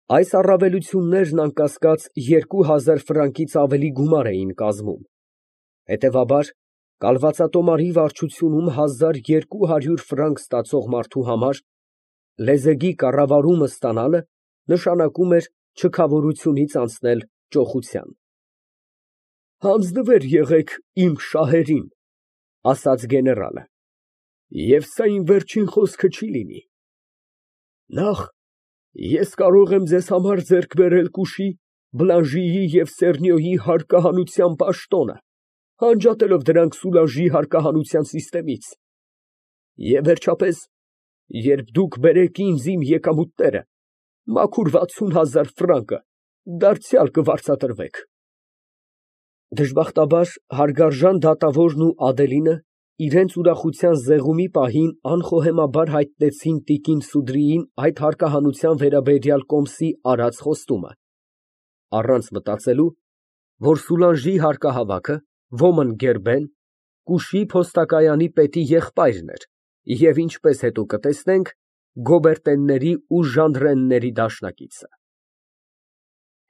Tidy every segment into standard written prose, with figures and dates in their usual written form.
Այս առավելություններն անկասկած 2000 ֆրանկից ավելի գումար էին կազմում, հետևաբար, կալվածատոմարի վարչությունում 1200 ֆրանկ ստացող մարդու համար լեզեգի կառավարումը ստանալը նշանակում էր չքավորությունից անցնել ճոխության։ «Հանձնվեր եղեք իմ շահերին», ֊ ասաց գեներալը, ֊ և սա իմ վերջին խոսքը չի լինի։ Նախ ես կարող եմ ձեզ համար ձեռք բերել Կուշի, Բլանժիի և Սեռնիոյի հարկահանության պաշտոնը, անջատելով դրանք Սուլանժի հարկահանության սիստեմից, և վերջապես, երբ դուք բերեք ինձ իմ եկամուտները, մաքուր 60,000 ֆրանկը դարձյալ կվարձատրվեք։ Դժբախտաբար հարգարժան դատավորն ու Ադելինը իրենց ուրախության զեղումի պահին անխոհեմաբար հայտնեցին տիկին Սուդրիին այդ հարկահանության վերաբերյալ կոմսի արած խոստումը, առանց մտածելու, որ Սուլանժի հարկահավաքը Ոմն Գերբեն Կուշի փոստակայանի պետի եղբայրն էր և, ինչպես հետո կտեսնենք, գոբերտենների ու ժանդրենների դաշնակիցը։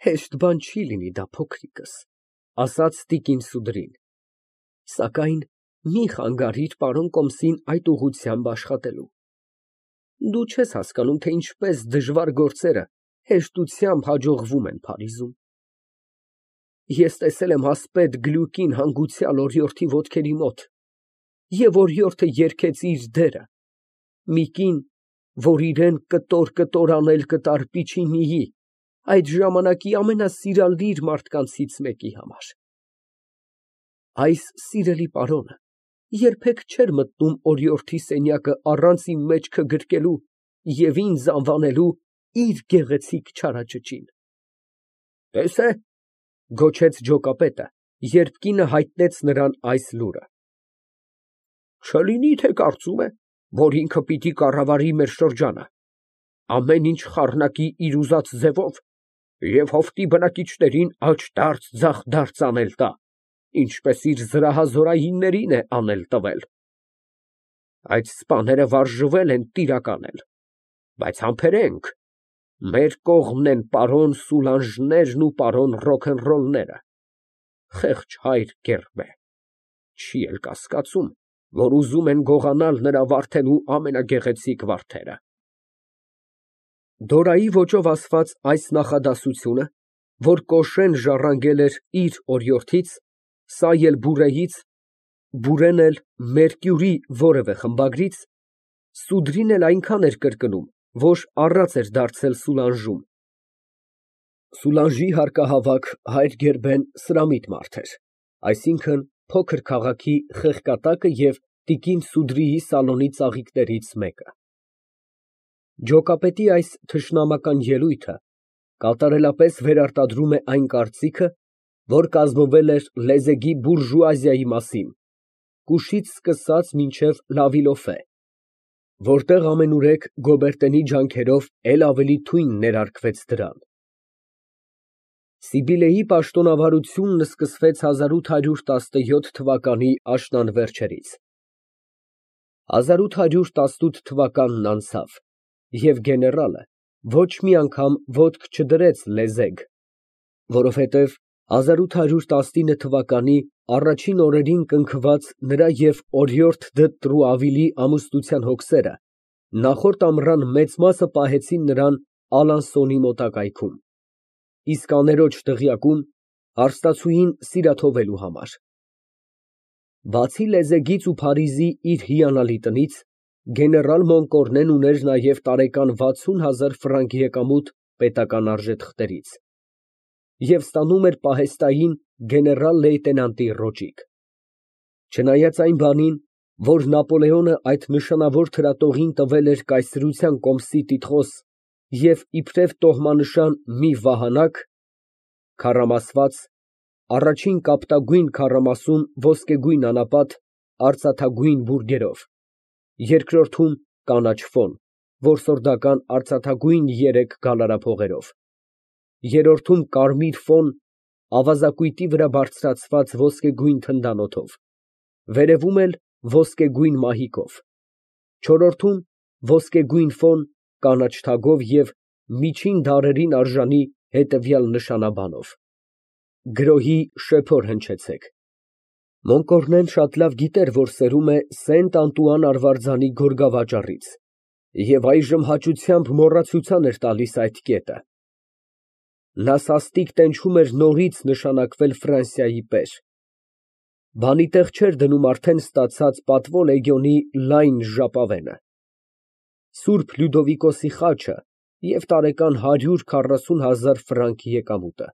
Հեշտ բան չի լինի դա, փոքրիկս, ֊ ասաց տիկին Սուդրին, ֊ սակայն մի խանգարիր պարոն կոմսին այդ ուղղությամբ աշխատելու։ Դու չես հասկանում, թե ինչպես դժվար գործերը հեշտությամբ հաջողվում են Փարիզում։ Ես տեսել եմ ասպետ Գլյուկին հանգուցյալ օրիորդի ոտքերի մոտ, և օրիորդը երգեց իր դերը, մի կին, որ իրան կտոր անել կտար Պիչինիի, այդ ժամանակի ամենասիրալիր մարդկանցից մեկի համար։ Այս սիրելի պարոնը երբեք չէր մտնում օրիորդի սենյակը առանց իմ մեջքը գրկելու և ինձ անվանելու իր գեղեցիկ չարաճճին։ «Տես է», ֊ գոչեց ջոկապետը, երբ կինը հայտնեց նրան այս լուրը, «չլինի թե կարծում է, որ ինքը պիտի կառավարի մեր շրջանը, ամեն ինչ խառնակի իր ուզած ձևով և հովտի բնակիչներին աջ֊դարձ, ձախ֊դարձ անել տա, ինչպես իր զրահազորայիններին է անել տվել։ Այդ սպաները վարժվել են տիրակ անել, բայց համբերենք, մեր կողմն են պարոն Սուլանժներն ու պարոն Ռոքենռոլները, խեղճ հայր Գերբե, չի էլ կասկածում, որ ուզում են գողանալ նրա վարդելու ամենագեղեցիկ վարդերը»։ Դորայի ոճով ասված այս նախադասությունը, որ Կոշեն ժառանգել էր իր օրիորդից, սա էլ Բուրեից, Բուրեն էլ Մերկյուրի որևէ խմբագրից, Սուդրին էլ այնքան էր կրկնում, որ առած էր դարձել Սուլանժում։ Սուլանժի հարկահավաք հայր Գերբեն սրամիտ մարդ էր, այսինքն փոքր քաղաքի խեղկատակը և տիկին Սուդրիի սալոնի ծաղիկներից մեկը։ Ջոկապետի այս թշնամական ելույթը կատարելապես վերարտադրում է այն կարծիքը, որ կազմվել էր լեզեգի բուրժուազիայի մասին, Կուշից սկսած մինչև Լավիլոֆե, որտեղ ամենուրեք Գոբերտենի ջանքերով էլ ավելի թույն ներարկվեց դրան։ Սիբիլեի պաշտոնավարությունն սկսվեց 1817 թվականի աշնան վերջերից։ 1818 թվականն անցավ, և գեներալը ոչ մի անգամ ոտք չդրեց լեզեգ, որովհետև 1819 թվականի առաջին օրերին կնքված նրա և օրիորդ Դը Տրուավիլի ամուսնության հոգսերը նախորդ ամռան մեծ մասը պահեցին նրան Ալանսոնի մոտակայքում, իսկ աներոջ դղյակում հարստացուին սիրաթողելու համար։ Բացի լեզեգից ու Փարիզի իր հիանալի տնից, գեներալ Մոնկորնեն ուներ նաև տարեկան 60,000 ֆրանկ եկամուտ պետական արժեթղթերից և ստանում էր պահեստային գեներալ֊լեյտենանտի ոճիկ։ Չնայած այն բանին, որ Նապոլեոնը այդ նշանավոր թրատողին տվել էր կայսրության կոմսի տիտղոս և իբրև տոհմանշան մի վահանակ (քառամասված, առաջին կապտագույն քառամասում ոսկեգույն անապատ, արծաթագույն բուրգերով, երկրորդում կանաչ ֆոն, որսորդական արծաթագույն 3 գալարափողերով, երրորդում կարմիր ֆոն, ավազակույտի վրա բարձրացված ոսկեգույն թնդանոթով, վերևում էլ ոսկեգույն մահիկով, չորրորդում ոսկեգույն ֆոն, կանաչ թագով և միջին դարերին արժանի հետևյալ նշանաբանով. գրոհի շեփոր հնչեցեք։ Մոնկորնեն շատ լավ գիտեր, որ սերում է Սենտ Անտուան արվարձանի գորգավաճառից, և այժմ հաճությամբ մոռացության էր տալիս այդ կետը։ Նա սաստիկ տենչում էր նորից նշանակվել Ֆրանսիայի պեր։ Բանի տեղ չէր դնում արդեն ստացած պատվո լեգիոնի լայն ժապավենը, Սուրբ Լյուդովիկոսի խաչը և տարեկան 140,000 ֆրանկ եկամուտը։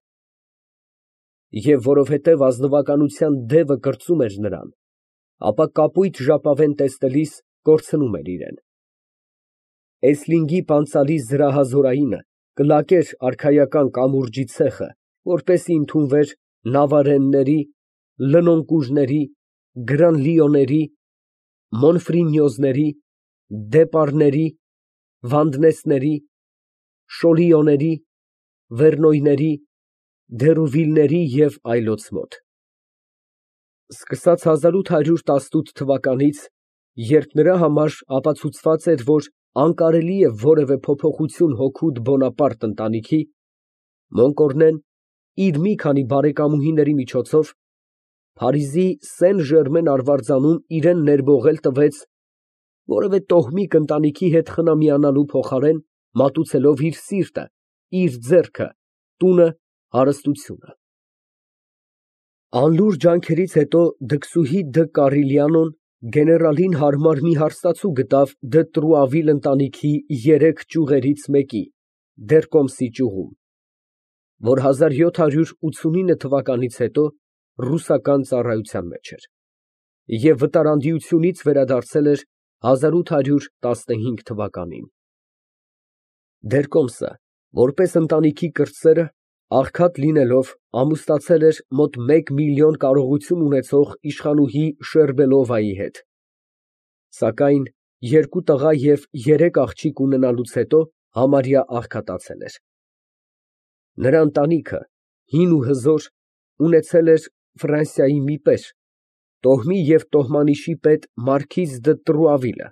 Եվ որովհետև ազնվականության դևը կրծում էր նրան, ապա կապույտ ժապավեն տեսնելիս կորցնում էր իրեն։ Էսլինգի պանցալի զրահազորայինը կլակեր արքայական կամուրջի ցեխը, որպեսզի ընդունվեր նավարենների, լնոնկուրների, գրանլիոների, մոնֆրինյոզների, դեպարների, վանդնեսների, շոլիոների, վերնոյների, դերուվիլների և այլոց մոտ։ Սկսած 1818 թվականից, երբ նրա համար ապացուցված էր, որ անկարելի է որևէ փոփոխություն հոգուտ Բոնապարտ ընտանիքի, Մոնկորնեն իր մի քանի բարեկամուհիների միջոցով Փարիզի Սեն Ժերմեն արվարձանում իրան ներբողել տվեց որևէ տոհմիկ ընտանիքի հետ խնամիանալու փոխարեն, մատուցելով իր սիրտը, իր ձեռքը, տունը, հարստությունը։ Անլուր ջանքերից հետո դքսուհի դը Կարիլյանոն գեներալին հարմար մի հարստացու գտավ դը Տրուավիլ ընտանիքի 3 ճյուղերից մեկի՝ Դերկոմսի ճյուղում, որ 1789 թվականից հետո ռուսական ծառայության մեջ էր, և վտարանդիությունից վերադարձել էր 1815 թվականին։ Դերկոմսը, որպես ընտանիքի կրտսերը, աղքատ լինելով, ամուսնացել էր մոտ 1 միլիոն կարողություն ունեցող իշխանուհի Շերբելովայի հետ, սակայն 2 տղա և 3 աղջիկ ունենալուց հետո համարյա աղքատացել էր։ Նրա ընտանիքը, հին ու հզոր, ունեցել էր Ֆրանսիայի մի պեր, տոհմի և տոհմանիշի պետ մարքիզ դը Տրուավիլը,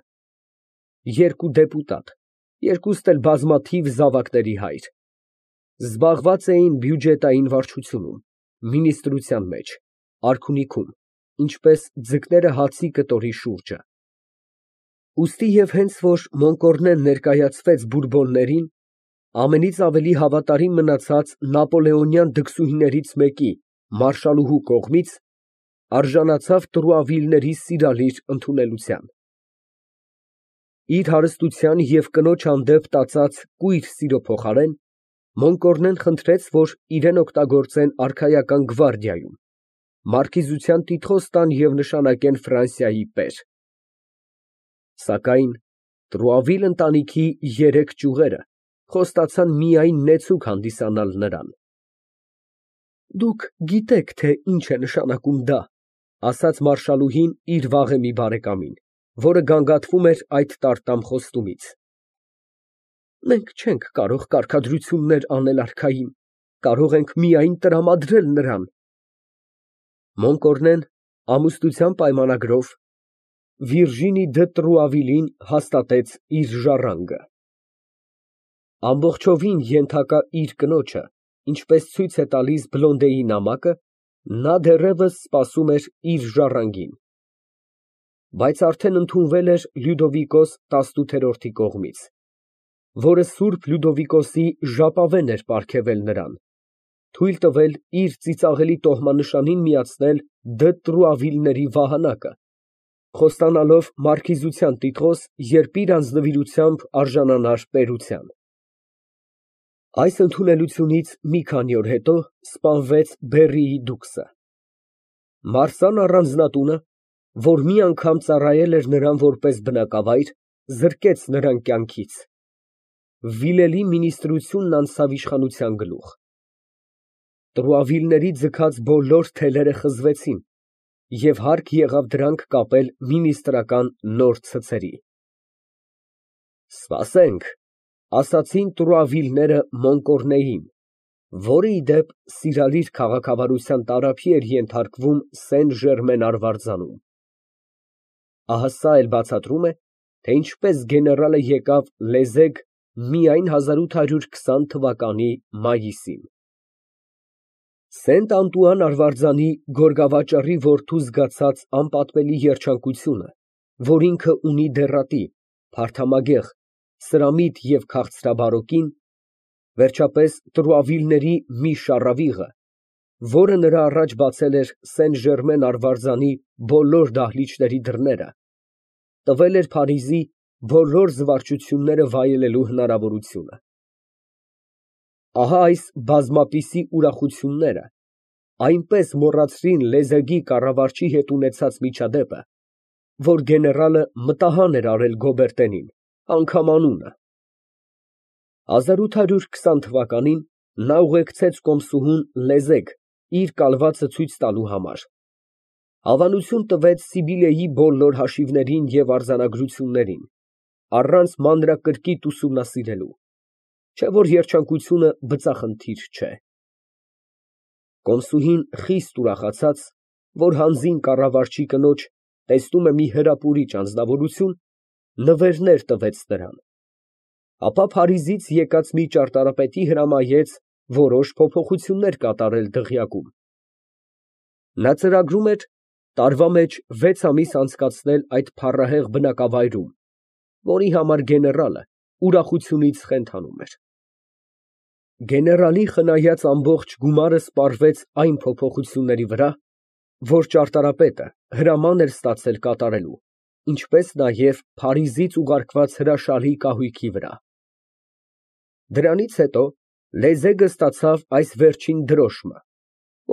2 դեպուտատ, երկուստ էլ բազմաթիվ զավակների հայր։ Զբաղված էին բյուջետային վարչությունում, մինիստրության մեջ, արքունիքում, ինչպես ձկները հացի կտորի շուրջը։ Ուստի և հենց որ Մոնկորնեն ներկայացվեց բուրբոններին, ամենից ավելի հավատարիմ մնացած նապոլեոնյան դքսուհիներից մեկի՝ մարշալուհու կողմից, արժանացավ Տրուավիլների սիրալիր ընդունելության։ Իր հարստության և կնոջ հանդեպ տածած կույր սիրո փոխարեն, Մոնկորնեն խնդրեց, որ իրեն օգտագործեն արքայական գվարդիայում, մարքիզության տիտղոս տան և նշանակեն Ֆրանսիայի պեր։ Սակայն Տրուավիլ ընտանիքի 3 ճյուղերը խոստացան միայն նեցուկ հանդիսանալ նրան։ Դուք գիտեք, թե ինչ է նշանակում դա, ասաց մարշալուհին իր վաղեմի բարեկամին, որը գանգատվում էր այդ տարտամ խոստումից։ Մենք չենք կարող կարգադրություններ անել արքային, կարող ենք միայն տրամադրել նրան։ Մոնկորնեն ամուսնության պայմանագրով Վիրջինի դը Տրուավիլին հաստատեց իր ժառանգը։ Ամբողջովին ենթակա իր կնոջը, ինչպես ցույց է տալիս Բլոնդեի նամակը, նա դեռևս սպասում էր իր ժառանգին, բայց արդեն ընդունվել էր Լյուդովիկոս 18-րդի կողմից, որը Սուրբ Լյուդովիկոսի ժապավեն էր պարգևել նրան, թույլ տվել իր ծիծաղելի տոհմանշանին միացնել դը Տրուավիլների վահանակը, խոստանալով մարքիզության տիտղոս, երբ իր անձնվիրությամբ արժանանար պետության։ Այս ընդունելությունից մի քանի օր հետո սպանվեց Բեռիի դուքսը։ Մարսան առանձնատունը, որ մի անգամ ծառայել էր նրան որպես բնակավայր, զրկեց նրան կյանքից։ Վիլելի մինիստրությունն անցավ իշխանության գլուխ։ Տրուավիլների ձգած բոլոր թելերը խզվեցին, և հարկ եղավ դրանք կապել մինիստրական նոր ցցերի։ Սպասենք, ասացին Տրուավիլները Մոնկորնեին, որը, ի դեպ, սիրալիր քաղաքավարության տարափի էր ենթարկվում Սեն Ժերմեն արվարձանում։ Ահա սա էլ բացատրում է, թե ինչպես գեներալը եկավ լեզեկ միայն 1820 թվականի մայիսին։ Սենտ Անտուան Արվարձանի գորգավաճառի որդու զգացած անպատվելի երջանկությունը, որ ինքը ունի դեռատի, փարթամագեղ, սրամիտ և քաղցրաբարոկին, վերջապես Տրուավիլների մի շառավիղը, որը նրա առաջ բացել էր Սեն Ժերմեն Արվարձանի բոլոր դահլիճների դռները, տվել էր Փարիզի բոլոր զվարճությունները վայելելու հնարավորությունը։ Ահա այս բազմապիսի ուրախությունները այնպես մոռացրին Լեզեգի կառավարչի հետ ունեցած միջադեպը, որ գեներալը մտահան էր արել Գոբերտենին, անգամ անունը։ 1820 թվականին նա ուղեկցեց կոմսուհուն Լեզեգ իր կալվածը ցույց տալու համար, հավանություն տվեց Սիբիլեի բոլոր հաշիվներին և արձանագրություններին, առանց մանրակրկիտ ուսումնասիրելու, չէ որ երջանկությունը բծախնդիր չէ։ Կոմսուհին խիստ ուրախացած, որ հանձին կառավարչի կնոջ տեսնում է մի հրապուրիչ անձնավորություն, նվերներ տվեց նրան, ապա Փարիզից եկած մի ճարտարապետի հրամայեց որոշ փոփոխություններ կատարել դղյակում։ Նա ծրագրում էր տարվա մեջ 6 ամիս անցկացնել այդ փառահեղ բնակավայրում, որի համար գեներալը ուրախությունից խենթանում էր։ Գեներալի խնայած ամբողջ գումարը սպառվեց այն փոփոխությունների վրա, որ ճարտարապետը հրաման էր ստացել կատարելու, ինչպես նաև Փարիզից ուղարկված հրաշալի կահույքի վրա։ Դրանից հետո Լեզեգը ստացավ այս վերջին դրոշմը,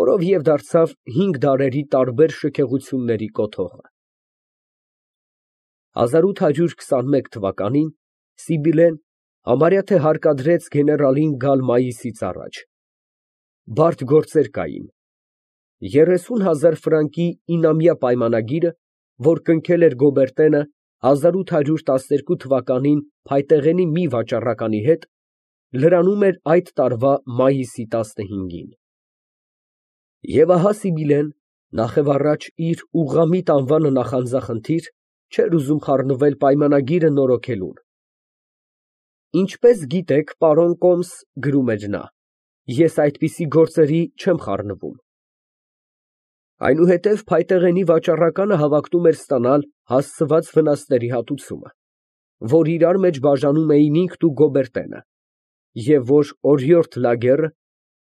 որով և դարձավ 5 դարերի տարբեր շքեղությունների կոթողը։ 1821 թվականին Սիբիլեն համարյա թե հարկադրեց գեներալին գալ մայիսից առաջ։ Բարդ գործեր կային. 30,000 ֆրանկի 9-ամյա պայմանագիրը, որ կնքել էր Գոբերտենը 1812 թվականին փայտեղենի մի վաճառականի հետ, լրանում էր այդ տարվա մայիսի 15-ին։ Եվ ահա Սիբիլեն, նախևառաջ իր ուղղամիտ անվանը նախանձախնդիր, չէր ուզում խառնվել պայմանագիրը նորոգելուն։ Ինչպես գիտեք, պարոն կոմս, գրում էր նա, ես այդպիսի գործերի չեմ խառնվում։ Այնուհետև փայտեղենի վաճառականը հավակնում էր ստանալ հասցված վնասների հատուցումը, որ իրար մեջ բաժանում էին ինքն ու Գոբերտենը, և որ օրիորդ Լագերը,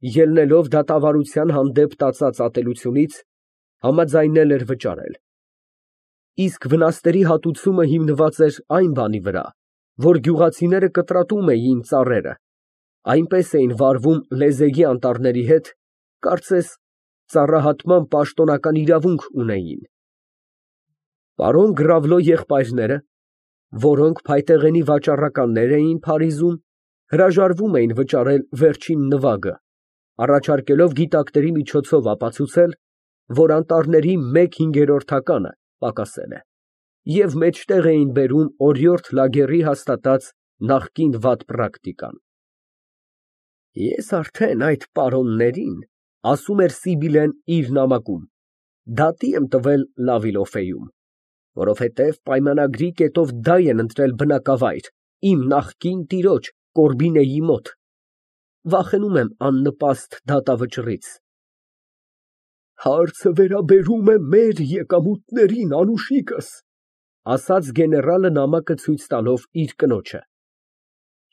ելնելով դատավարության հանդեպ տածած ատելությունից, համաձայնել էր վճարել։ Իսկ վնասների հատուցումը հիմնված էր այն բանի վրա, որ գյուղացիները կտրատում էին ծառերը, այնպես էին վարվում Լեզեգի անտառների հետ, կարծես ծառահատման պաշտոնական իրավունք ունեին։ Պարոն Գրավլո եղբայրները, որոնք փայտեղենի վաճառականներ էին Փարիզում, հրաժարվում էին վճարել վերջին նվագը, առաջարկելով գիտակների միջոցով ապացուցել, որ անտառների 1/5-ականը պակասել է, և մեջտեղ էին բերում օրիորդ Լագերի հաստատած նախկին վատ պրակտիկան։ Ես արդեն այդ պարոններին, ասում էր Սիբիլեն իր նամակում, դատի եմ տվել Լավիլոֆեում, որովհետև պայմանագրի կետով դայ են ընտրել բնակավայր իմ նախկին տիրոջ Կորբինեի մոտ, վախենում եմ աննպաստ դատավճռից։ Հարցը վերաբերում է մեր եկամուտներին, անուշիկս, ասաց գեներալը նամակը ցույց տալով իր կնոջը։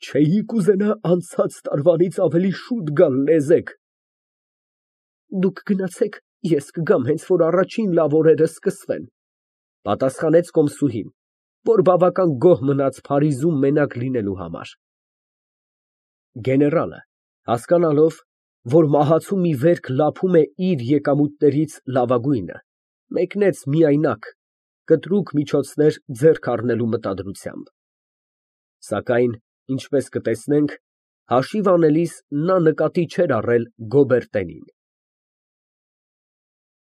Չէի կուզենա անցած տարվանից ավելի շուտ գալ Լեզեգ։ Դուք գնացեք, ես կգամ, հենց որ առաջին լավ օրերը սկսվեն, պատասխանեց կոմսուհին, որ բավական գոհ մնաց Փարիզում մենակ լինելու համար։ Գեներալը, հասկանալով, որ մահացու մի վերք լափում է իր եկամուտներից լավագույնը, մեկնեց միայնակ, կտրուկ միջոցներ ձեռք առնելու մտադրությամբ։ Սակայն, ինչպես կտեսնենք, հաշիվ անելիս նա նկատի չէր առել Գոբերտենին։